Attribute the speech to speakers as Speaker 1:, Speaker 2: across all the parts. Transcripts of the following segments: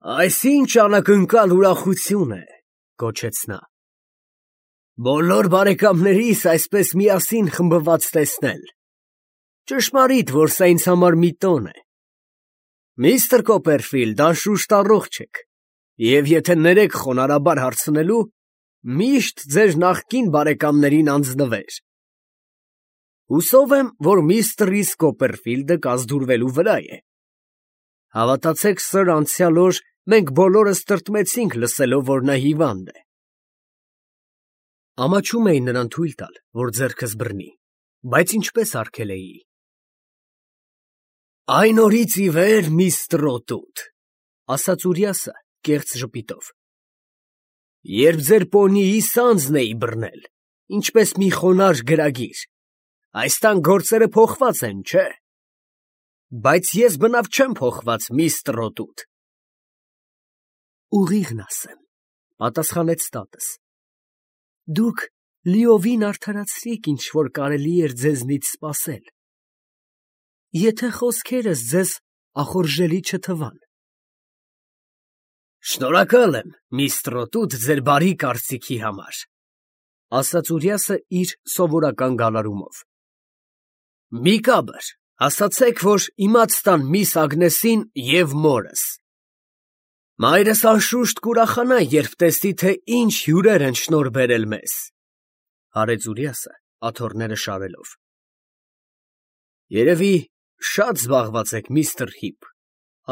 Speaker 1: Այս ինչ անակնկալ ուրախություն է, գոչեց նա։ Բոլոր բարեկամներիս այսպես միասին խմբված տեսնել։ Ճշմարիտ, որ սա ինձ համար մի տոն է։ Միստր Կոպերֆիլդ, անշուշտ առողջ եք, և եթե ներեք խոնարհաբար հարցնելու, միշտ ձեր նախկին բարեկամներին անձնվեր։ Հուսով եմ, որ միստր Ռիս Կոպերֆիլդը կազդուրվելու վրա է։ Հավատացեք, սըր, անցյալ օր մենք բոլորս տրտմեցինք լսելով, որ նա հիվանդ է։ Ամաչում էի նրան թույլ տալ, որ ձեռքս բռնի, բայց ինչպես արգելեի։ Այն օրից ի վեր, միստր Օտուտ, ասաց Ուրիասը կեղծ ժպիտով, երբ ձեր պոնիի սանձն էի բռնել, ինչպես մի խոնարհ գրագիր, այս տան գործերը փոխված են, չէ՞։ Բայց ես բնավ չեմ փոխված, միստր Օտուտ։ Ուղիղն ասեմ, պատասխանեց տատս։ Դուք լիովին արդարացրիք, ինչ որ կարելի էր ձեզնից սպասել, եթե խոսքերս ձեզ ախորժելի չթվան։ Շնորհակալ եմ, միստր Օտուտ, ձեր բարի կարծիքի համար, ասաց Ուրիասը իր սովորական գալարումով։ Մի կաբր, ասացեք, որ իմաց տան միս Ագնեսին և մորս։ Մայրս անշուշտ կուրախանա, երբ տեսնի, թե ինչ հյուրեր են շնորհ բերել մեզ, հարեց Ուրիասը, աթոռները շարելով։ Երևի շատ զբաղված եք, միստր Հիփ,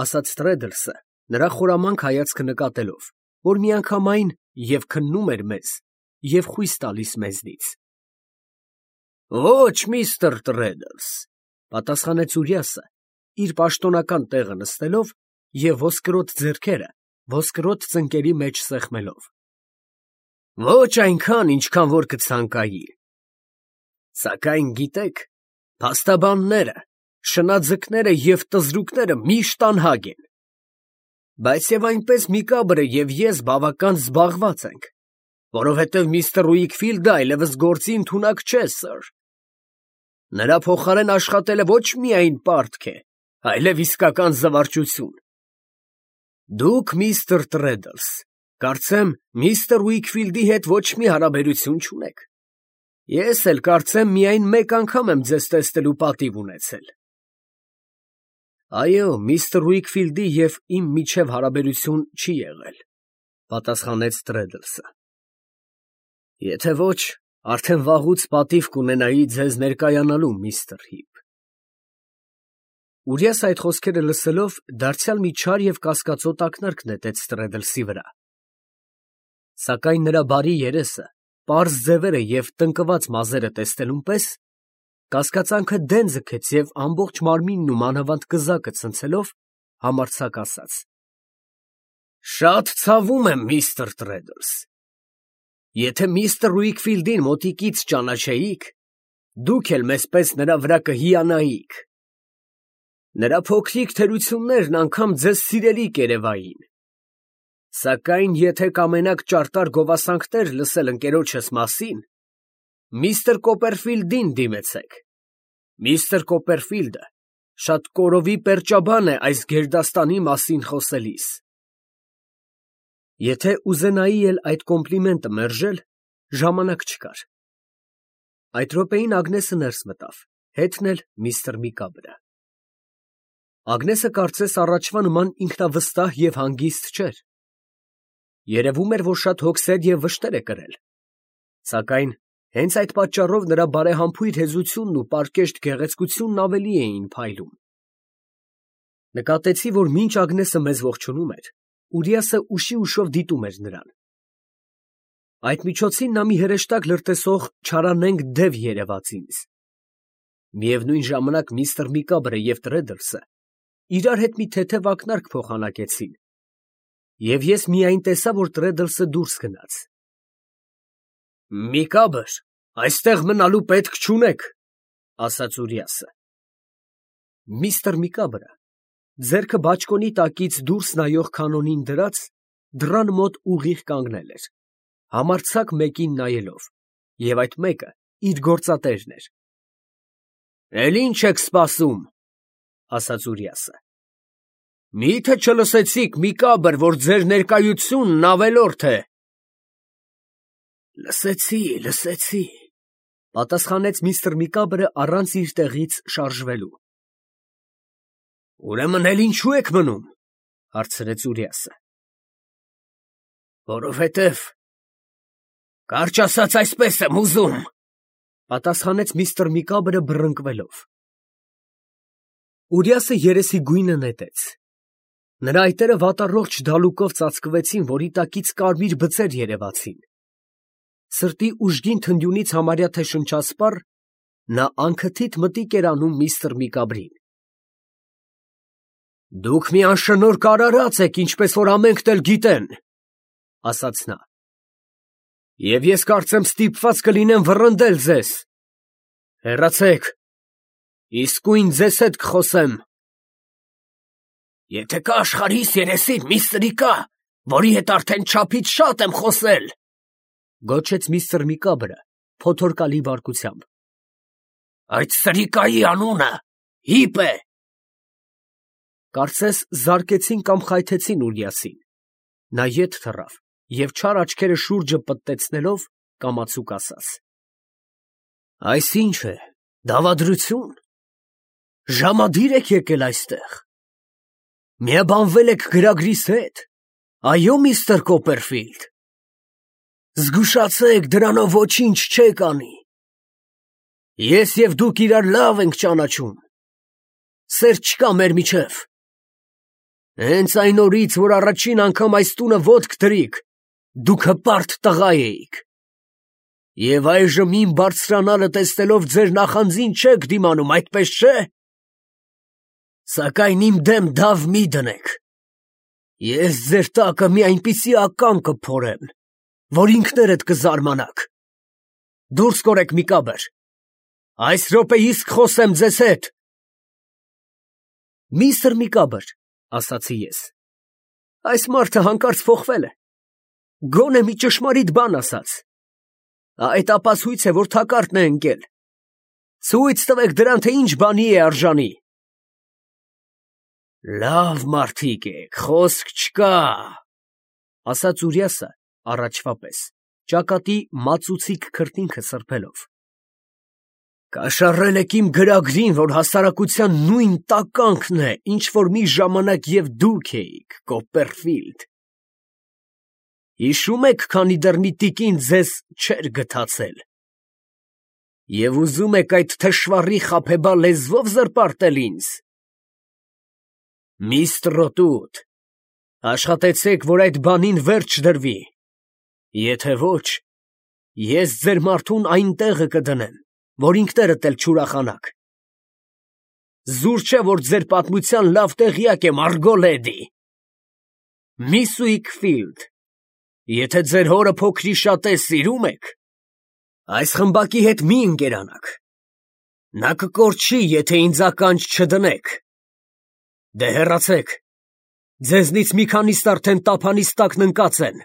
Speaker 1: ասաց Տրեդլսը, նրա խորամանկ հայացքը նկատելով, որ միանգամայն և քննում էր մեզ, և խույս տալիս մեզնից։ Ոչ, միստր Տրեդլս, պատասխանեց Ուրիասը, իր պաշտոնական տեղը նստելով և ոսկրոտ ձեռքերը ոսկրոտ ծնկերի մեջ սեղմելով։ Ոչ այնքան, ինչքան որ կցանկայի։ Սակայն գիտեք, փաստաբանները, շնաձկները և տզրուկները միշտ անհագ են։ Բայց և այնպես Միկաբրը և ես բավական զբաղված ենք, որովհետև միստր Ուիքֆիլդը այլևս գործի ընդունակ չէ, սըր։ Նրա փոխարեն աշխատելը ոչ միայն պարտք է, այլև իսկական զվարճություն։ Դուք, միստր Տրեդլս, կարծեմ, միստր Ուիքֆիլդի հետ ոչ մի հարաբերություն չունեք։ Ես էլ կարծեմ միայն մեկ անգամ եմ ձեզ տեսնելու պատիվ ունեցել։ Այո, միստր Ուիքֆիլդի և իմ միջև հարաբերություն չի եղել, պատասխանեց Տրեդլսը։ Եթե ոչ, արդեն վաղուց պատիվ կունենայի ձեզ ներկայանալու, միստր Հիփ։ Ուրիասը այդ խոսքերը լսելով, դարձյալ մի չար և կասկածոտ ակնարկ նետեց Տրեդլսի վրա։ Սակայն նրա բարի երեսը, պարզ ձևերը և տնկված մազերը տեսնելուն պես, կասկածանքը դեն ձգեց և ամբողջ մարմինն ու մանավանդ կզակը ցնցելով, համարձակ ասաց. Շատ ցավում եմ, միստր Տրեդլս։ Եթե միստր Ուիքֆիլդին մոտիկից ճանաչեիք, դուք էլ մեզպես նրա վրա կհիանայիք։ Նրա փոքրիկ թերություններն անգամ ձեզ սիրելի կերևային։ Սակայն եթե կամենաք ճարտար գովասանքներ լսել ընկերոջս մասին, միստր Կոպերֆիլդին դիմեցեք։ Միստր Կոպերֆիլդը շատ կորովի պերճաբան է այս գերդաստանի մասին խոսելիս։ Եթե ուզենայի էլ այդ կոմպլիմենտը մերժել, ժամանակ չկար։ Այդ րոպեին Ագնեսը ներս մտավ, հետն էլ միստր Միկաբրը։ Ագնեսը կարծես առաջվա նման ինքնավստահ և հանգիստ չէր։ Երևում էր, որ շատ հոգսեր և վշտեր է կրել։ Սակայն հենց այդ պատճառով նրա բարեհամբույր հեզությունն ու պարկեշտ գեղեցկությունն ավելի էին փայլում։ Նկատեցի, որ մինչ Ագնեսը մեզ ողջունում էր, Ուրիասը ուշի ուշով դիտում էր նրան։ Այդ միջոցին նա մի հրեշտակ լրտեսող չարանենգ դև երևաց ինձ։ Միևնույն ժամանակ միստր Միկաբրը և Տրեդլսը իրար հետ մի թեթև ակնարկ փոխանակեցին, և ես միայն տեսա, որ Տրեդլսը դուրս գնաց։ Միկաբր, այստեղ մնալու պետք չունեք, ասաց Ուրիասը։ Միստր Միկաբրը, ձեռքը բաճկոնի տակից դուրս նայող կանոնին դրած, դռան մոտ ուղիղ կանգնել էր, համարձակ մեկին նայելով, և այդ մեկը իր գործատերն էր։ Էլ ի՞նչ եք սպասում, ասաց Ուրիասը։ Մի՞թե չլսեցիք, Միկաբր, որ ձեր ներկայությունն ավելորդ է։ Լսեցի, պատասխանեց միստր Միկաբրը առանց իր տեղից շարժվելու։ Ուրեմն էլ ինչու եք մնում, հարցրեց Ուրիասը։ Որովհետև կարճ ասած այսպես եմ ուզում, պատասխանեց միստր Միկաբրը բռնկվելով։ Ուրիասը երեսի գույնը նետեց։ Նրա այտերը վատառողջ դալուկով ծածկվեցին, որի տակից կարմիր բծեր երևացին։ Սրտի ուժգին թնդյունից համարյա թե շնչասպառ, նա անքթիթ մտիկ էր անում միստր Միկաբրին։ Դուք մի անշնորհ կարարած եք, ինչպես որ ամենքն էլ գիտեն, ասաց նա։ Եվ ես կարծեմ ստիպված կլինեմ վռնդել ձեզ։ Հեռացեք, իսկույն ձեզ հետ կխոսեմ։ Եթե կա աշխարհիս երեսին մի սրիկա, որի հետ արդեն չափից շատ եմ խոսել, գոչեց միստր Միկաբրը փոթորկալի բարկությամբ։ Այդ սրիկայի անունը Հիպ է։ Կարծես զարկեցին կամ խայթեցին Ուրիասին։ Նա ետ թռավ և չար աչքերը շուրջը պտտեցնելով կամացուկ ասաց. Այս ի՞նչ է, դավադրություն։ Ժամադիր եք եկել այստեղ։ Միաբանվել եք գրագրիս հետ։ Այո, միստր Կոպերֆիլդ։ Զգուշացեք, դրանով ոչինչ չեք անի։ Ես և դուք իրար լավ ենք ճանաչում։ Սեր չկա մեր միջև։ Հենց այն օրից, որ առաջին անգամ այս տունը ոտք դրիք, դուք հպարտ տղա էիք։ Եվ այժմ իմ բարձրանալը տեսնելով ձեր նախանձին չեք դիմանում, այդպես չէ։ Սակայն իմ դեմ դավ մի դնեք։ Ես ձեր տակը մի այնպիսի ական կփորեմ, որ ինքներդ կզարմանաք։ Դուրս կորեք, Միկաբր։ Այս րոպե իսկ խոսեմ ձեզ հետ։ Միստր Միկաբր, ասացի ես, այս մարդը հանկարծ փոխվել է։ Գոնե մի ճշմարիտ բան ասաց։ Այդ ապացույց է, որ թակարդն է ընկել։ Ցույց տվեք դրան, թե ինչ բանի է արժանի։ Լավ մարդիկ եք, խոսք չկա, ասաց Ուրիասը առաջվա պես, ճակատի մածուցիկ քրտինքը սրբելով։ Կաշառել եք իմ գրագրին, որ հասարակության նույն տականքն է, ինչ որ մի ժամանակ և դուք էիք, Կոպերֆիլդ։ Հիշում եք, քանի դեռ մի տիկին ձեզ չէր գթացել։ Եվ ուզում եք այդ թշվառի խաբեբա լեզվով զրպարտել ինձ։ Միստր Ռոտուտ, աշխատեցեք, որ այդ բանին վերջ դրվի։ Եթե ոչ, ես ձեր մարդուն այն տեղը կդնեմ, որ ինքներդ էլ չուրախանաք։ Զուր չէ, որ ձեր պատմության լավ տեղյակ եմ, Արգո լեդի։ Միս Ուիքֆիլդ, եթե ձեր հորը փոքրիշատե սիրում եք, այս խմբակի հետ մի ընկերանաք։ Նա կկորչի, եթե ինձ ականջ չդնեք։ Դե հեռացեք, ձեզնից մի քանիստ արդեն տափանիս տակն ընկած են։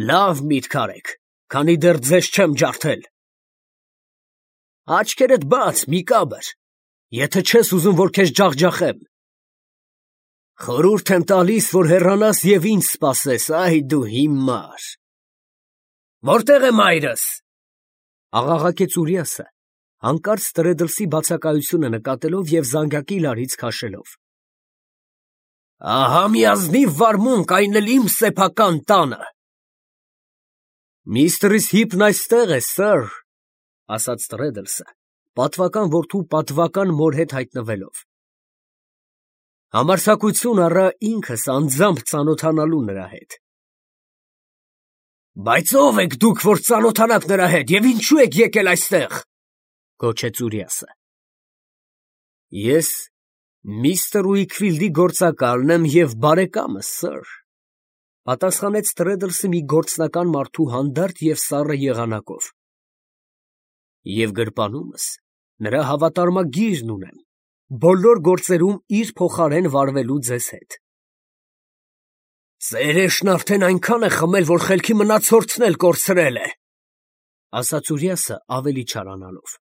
Speaker 1: Լավ միտք արեք, քանի դեռ ձեզ չեմ ջարդել։ Աչքերդ բաց, Միկաբր, եթե չես ուզում, որ քեզ ջախջախեմ։ Խորհուրդ եմ տալիս, որ հեռանաս և ինձ սպասես, այ դու հիմար։ Որտե՞ղ է մայրս, աղաղակեց Ուրիասը, հանկարծ Տրեդլսի բացակայությունը նկատելով և զանգակի լարից քաշելով։ Ահա մի ազնիվ վարմունք, այն էլ իմ սեփական տանը։ Միստրիս Հիպն այստեղ է, սըր, ասաց Տրեդլսը, պատվական որդու պատվական մոր հետ հայտնվելով։ Համարձակություն առա ինքս անձամբ ծանոթանալու նրա հետ։ Բայց ո՞վ եք դուք, որ ծանոթանաք նրա հետ, և ինչու եք եկել այստեղ, գոչեց Ուրիասը։ Ես միստր Ուիքֆիլդի գործակալն եմ և բարեկամը, սըր, պատասխանեց Տրեդլսը մի գործնական մարդու հանդարտ և սառը եղանակով։ Եվ գրպանումս նրա հավատարմագիրն ունեմ, բոլոր գործերում իր փոխարեն վարվելու ձեզ հետ։ Ծերեշն արդեն այնքան է խմել, որ խելքի մնացորդն էլ կորցրել է, ասաց Ուրիասը ավելի չարանալով։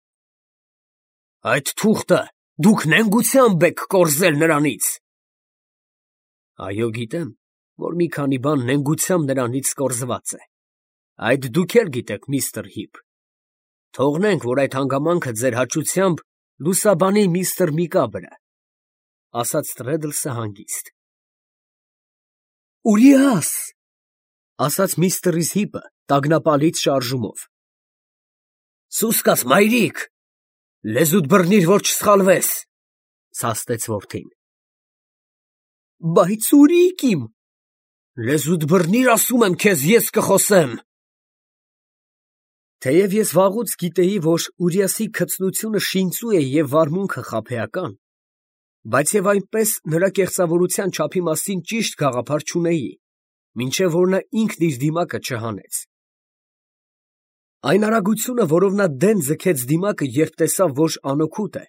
Speaker 1: Այդ թուղթը դուք նենգությամբ եք կորզել նրանից։ Այո, գիտեմ, որ մի քանի բան նենգությամբ նրանից կորզված է։ Այդ դուք էլ գիտեք, միստր Հիփ։ Թողնենք, որ այդ հանգամանքը ձեր հաճությամբ լուսաբանի միստր Միկաբրը, ասաց Տրեդլսը հանգիստ։ Ուրիաս, ասաց միստր Հիփը տագնապալից շարժումով։ Սուսկաց մայրիկ, լեզուդ բռնիր, որ չսխալվես, սաստեց որդին։ Բայց ուրիկ իմ, լեզուդ բռնիր, ասում եմ քեզ, ես կխոսեմ։ Թեև ես վաղուց գիտեի, որ Ուրիասի քծնությունը շինծու է և վարմունքը խաբեական, բայց և այնպես նրա կեղծավորության չափի մասին ճիշտ գաղափար չունեի, մինչև որ նա ինքն իր դիմակը չհանեց։ Այն արագությունը, որով նա դեն ձգեց դիմակը, երբ տեսավ, որ անօգուտ է,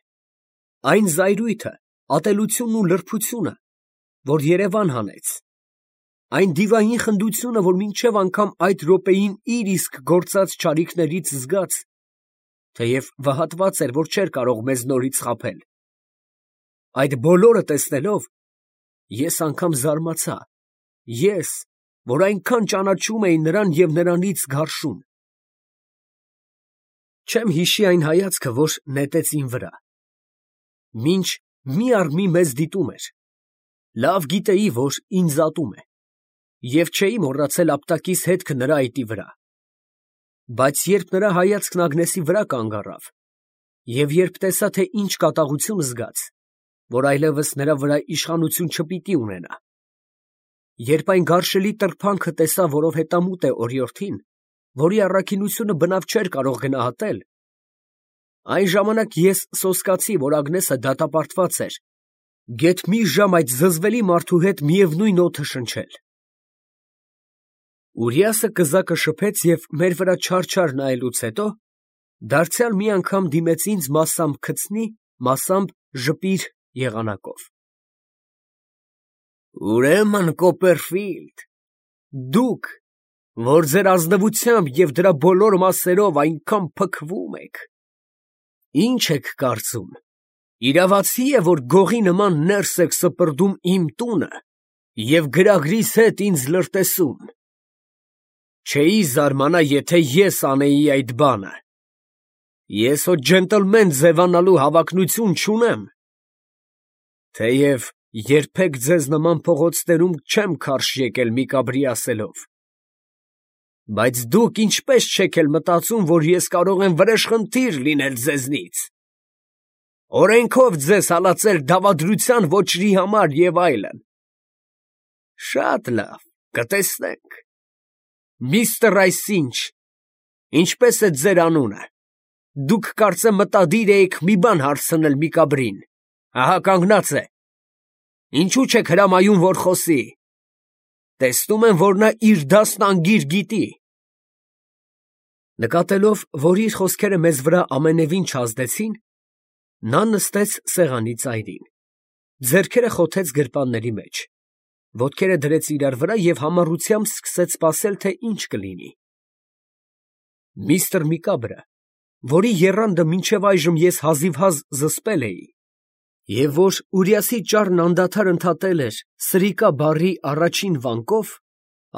Speaker 1: այն զայրույթը, ատելությունն ու լրբությունը, որ Երևան հանեց, այն դիվային խնդությունը, որ մինչև անգամ այդ րոպեին իր իսկ գործած չարիքներից զգաց, թեև վհատված էր, որ չէր կարող մեզ նորից խաբել, այդ բոլորը տեսնելով, ես անգամ զարմացա, ես, որ այնքան ճանաչում էի նրան և նրանից գարշում։ Չեմ հիշի այն հայացքը, որ նետեց իմ վրա, մինչ մի առ մի մեզ դիտում էր, լավ գիտեի, որ ինձ ատում է, և չէի մոռացել ապտակիս հետքը նրա այտի վրա, բայց երբ նրա հայացքն Ագնեսի վրա կանգ առավ, և երբ տեսա, թե ինչ կատաղություն զգաց, որ այլևս նրա վրա իշխանություն չպիտի ունենա, երբ այն գարշելի տրփանքը տեսա, որով հետամուտ է օրիորդին, որի առաքինությունը բնավ չէր կարող գնահատել, այն ժամանակ ես սոսկացի, որ Ագնեսը դատապարտված էր, գեթ մի ժամ այդ զզվելի մարդու հետ միևնույն օդը շնչել։ Ուրիասը կզակը շփեց և մեր վրա չար նայելուց հետո, դարձյալ մի անգամ դիմեց ինձ մասամբ քցնի, մասամբ ժպիր եղանակով։ Ուրեմն, Կոպերֆիլդ, դուք, որ ձեր ազնվությամբ և դրա բոլոր մասերով այնքան փքվում եք, ինչ եք կարծում, իրավացի է, որ գողի նման ներս եք սպրդում իմ տունը և գրագրիս հետ ինձ լրտեսում։ Չէի զարմանա, եթե ես անեի այդ բանը։ Ես հո ջենտլմեն ձևանալու հավակնություն չունեմ, թեև երբեք ձեզ նման փողոցներում չեմ քարշ եկել Միկաբրի ասելով, բայց դուք ինչպես չեք էլ մտածում, որ ես կարող եմ վրեժխնդիր լինել ձեզնից, օրենքով ձեզ հալածել դավադրության ոճրի համար և այլն։ Շատ լավ, կտեսնենք։ Միստր այսինչ, ինչպես է ձեր անունը, դուք կարծեմ մտադիր էիք մի բան հարցնել Միկաբրին, ահա կանգնած է, ինչու չեք հրամայում, որ խոսի, տեսնում եմ, որ նա իր դասն անգիր գիտի։ Նկատելով, որ իր խոսքերը մեզ վրա ամենևին չազդեցին, նա նստեց սեղանի ծայրին, ձեռքերը խոթեց գրպանների մեջ, ոտքերը դրեց իրար վրա և համառությամբ սկսեց սպասել, թե ինչ կլինի։ Միստր Միկաբրը, որի եռանդը մինչև այժմ ես հազիվհազ զսպել էի, և որ Ուրիասի ճառն անդադար ընդհատել էր սրիկա բառի առաջին վանկով,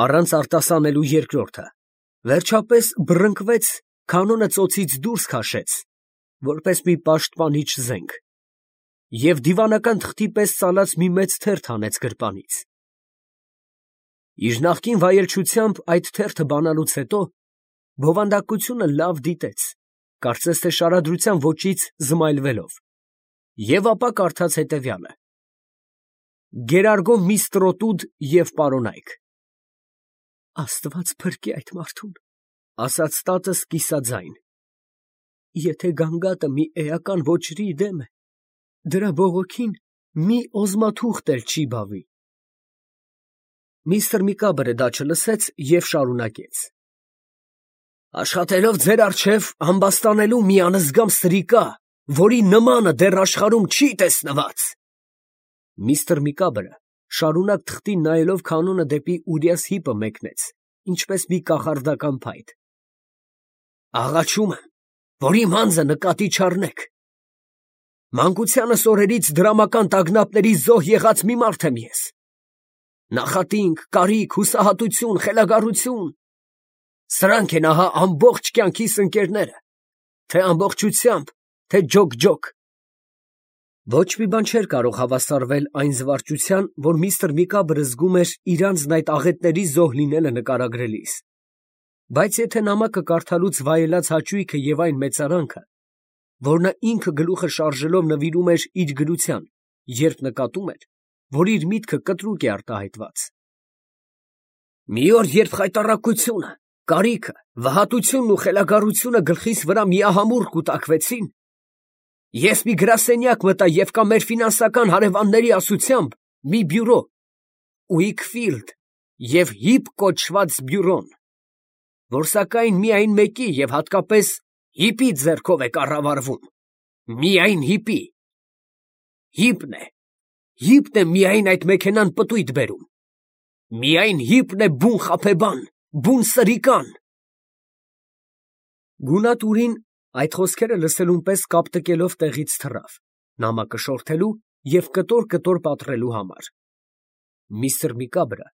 Speaker 1: առանց արտասանելու երկրորդը, վերջապես բռնկվեց, քանոնը ծոցից դուրս քաշեց, որպես մի պաշտպանիչ զենք, և դիվանական թղթի պես ծալած մի մեծ թերթ հանեց գրպանից։ Իր նախկին վայելչությամբ այդ թերթը բանալուց հետո բովանդակությունը լավ դիտեց, կարծես թե շարադրության ոճից զմայլվելով, և ապա կարդաց հետևյալը. Գերարգո մի ստրոտուդ և պարոնայք։ Աստված փրկի այդ մարդուն, ասաց տատս կիսաձայն, եթե գանգատը մի էական ոճրի դեմ է, դրա բողոքին մի օզմաթուղթ էլ չի բավի։ Միստր Միկաբրը դա չլսեց և շարունակեց. Աշխատելով ձեր առջև ամբաստանելու մի անզգամ սրիկա, որի նմանը դեռ աշխարհում չի տեսնված։ Միստր Միկաբրը շարունակ թղթին նայելով քանոնը դեպի Ուրիաս Հիպը մեկնեց, ինչպես մի կախարդական փայտ։ Աղաչում եմ, որ իմ անձը նկատի չառնեք։ Մանկությանս օրերից դրամական տագնապների զոհ եղած մի մարդ եմ ես։ Նախատինք, կարիք, հուսահատություն, խելագարություն։ Սրանք են ահա ամբողջ կյանքիս ընկերները, թե ամբողջությամբ, թե ջոկ-ջոկ։ Ոչ մի բան չէր կարող հավասարվել այն զվարճության, որ միստր Միկաբրը զգում էր իրանցն այդ աղետների զոհ լինելը նկարագրելիս։ Բայց եթե նամակը կարդալուց վայելած հաճույքը և այն մեծարանքը, որ նա ինքը գլուխը շարժելով նվիրում էր իր գրության, երբ նկատում էր, որ իր միտքը կտրուկ է արտահայտված։ Մի օր, երբ խայտառակությունը, կարիքը, վհատությունն ու խելագարությունը գլխիս վրա միահամուռ կուտակվեցին, ես մի գրասենյակ մտա և կա մեր ֆինանսական հարևանների ասությամբ մի բյուրո, Ուիքֆիլդ և Հիփ կոչված բյուրոն, որ սակայն միայն մեկի և հատկապես Հիփի ձեռքով է կառավարվում, միայն Հիփի։ Հիփն է միայն այդ մեքենան պտույտ բերում, միայն Հիփն է բուն խաբեբան, բուն սրիկան։ Գունատուրին այդ խոսքերը լսելուն պես կապտկելով տեղից թռավ, նամակը շորթելու և կտոր պատռելու համար։ Միստր Միկաբրը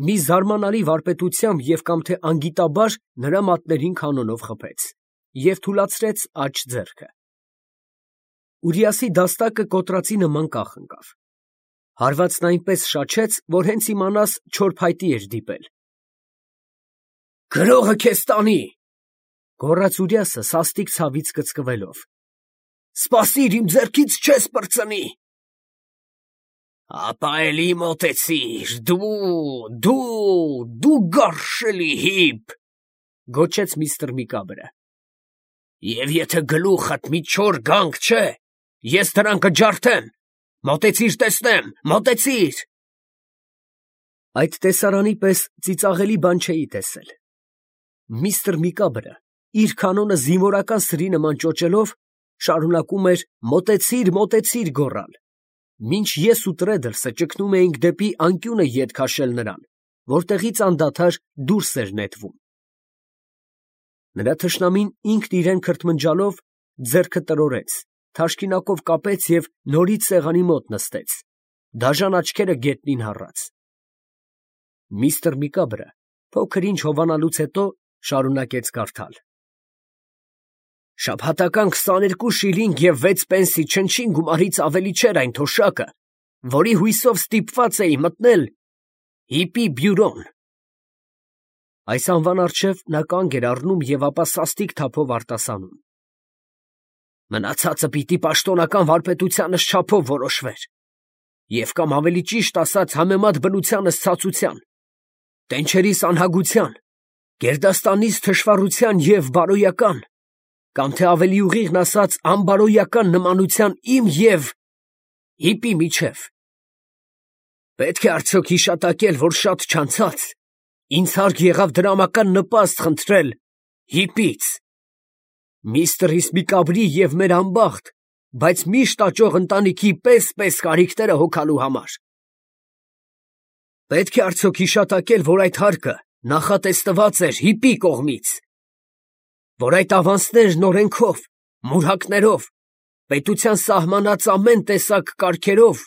Speaker 1: մի զարմանալի վարպետությամբ և կամ թե անգիտաբար նրա մատներին կանոնով խփեց և թուլացրեց աջ ձեռքը։ Ուրիասի դաստակը կոտրածի նման կախ ընկավ։ Հարվածն այնպես շաչեց, որ հենց իմանաս չոր փայտի էր դիպել։ «Գրողը քեզ տանի», գոռաց Ուրիասը սաստիկ ցավից կծկվելով։ «Սպասիր, իմ ձեռքից չես պրծնի»։ Ապա էլի մոտեցիր, դու գարշելի Հիփ, գոչեց միստր Միկաբրը։ Եվ եթե գլուխդ մի չոր գանք չէ, ես դրան կջարդեմ, մոտեցիր տեսնեմ, մոտեցիր։ Այդ տեսարանի պես ծիծաղելի բան չէի տեսել։ Միստր Միկաբրը իր կանոնը զինվորական սրի նման ճոճելով շարունակում էր մոտեցիր, մոտեցիր գոռալ, մինչ ես ու Տրեդլսը ճկնում էինք դեպի անկյունը ետ քաշել նրան, որտեղից անդադար դուրս էր նետվում։ Նրա թշնամին ինքն իրեն քրթմնջալով ձեռքը տրորեց, թաշկինակով կապեց և նորից սեղանի մոտ նստեց, դաժան աչքերը գետնին հառած։ Միստր Միկաբրը փոքր ինչ հովանալուց հետո շարունակեց կարդալ. Շաբաթական 22 շիլինգ և 6 պենսի չնչին գումարից ավելի չէր այն թոշակը, որի հույսով ստիպված էի մտնել Հիփի բյուրոն։ Այս անվան առջև նա կանգ էր առնում և ապա սաստիկ թափով արտասանում. Մնացածը պիտի պաշտոնական վարպետությանս չափով որոշվեր, և կամ ավելի ճիշտ ասած համեմատ բնությանս ցածության, տենչերիս անհագության, գերդաստանիս թշվառության և բարոյական, կամ թե ավելի ուղիղն ասած անբարոյական նմանության իմ և Հիփի միջև։ Պետք է արդյոք հիշատակել, որ շատ չանցած ինձ հարկ եղավ դրամական նպաստ խնդրել Հիփից, միստր Միկաբրի և մեր անբախտ, բայց միշտ աճող ընտանիքի պես կարիքները հոգալու համար։ Պետք է արդյոք հիշատակել, որ այդ հարկը նախատեսված էր Հիփի կողմից, որ այդ ավանսներն օրենքով, մուրհակներով, պետության սահմանած ամեն տեսակ կարգերով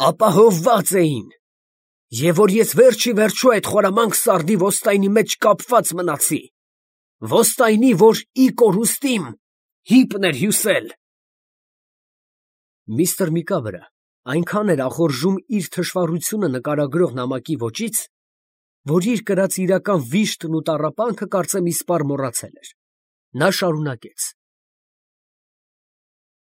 Speaker 1: ապահովված էին, և որ ես վերջիվերջո այդ խորամանկ սարդի ոստայնի մեջ կապված մնացի, ոստայնի, որ ի կորուստիմ Հիփն էր հյուսել։ Միստր Միկաբրը այնքան էր ախորժում իր թշվառությունը նկարագրող նամակի ոճից, որ իր կրած իրական վիշտն ու տառապանքը կարծեմ իսպառ մոռացել էր։ Նա շարունակեց.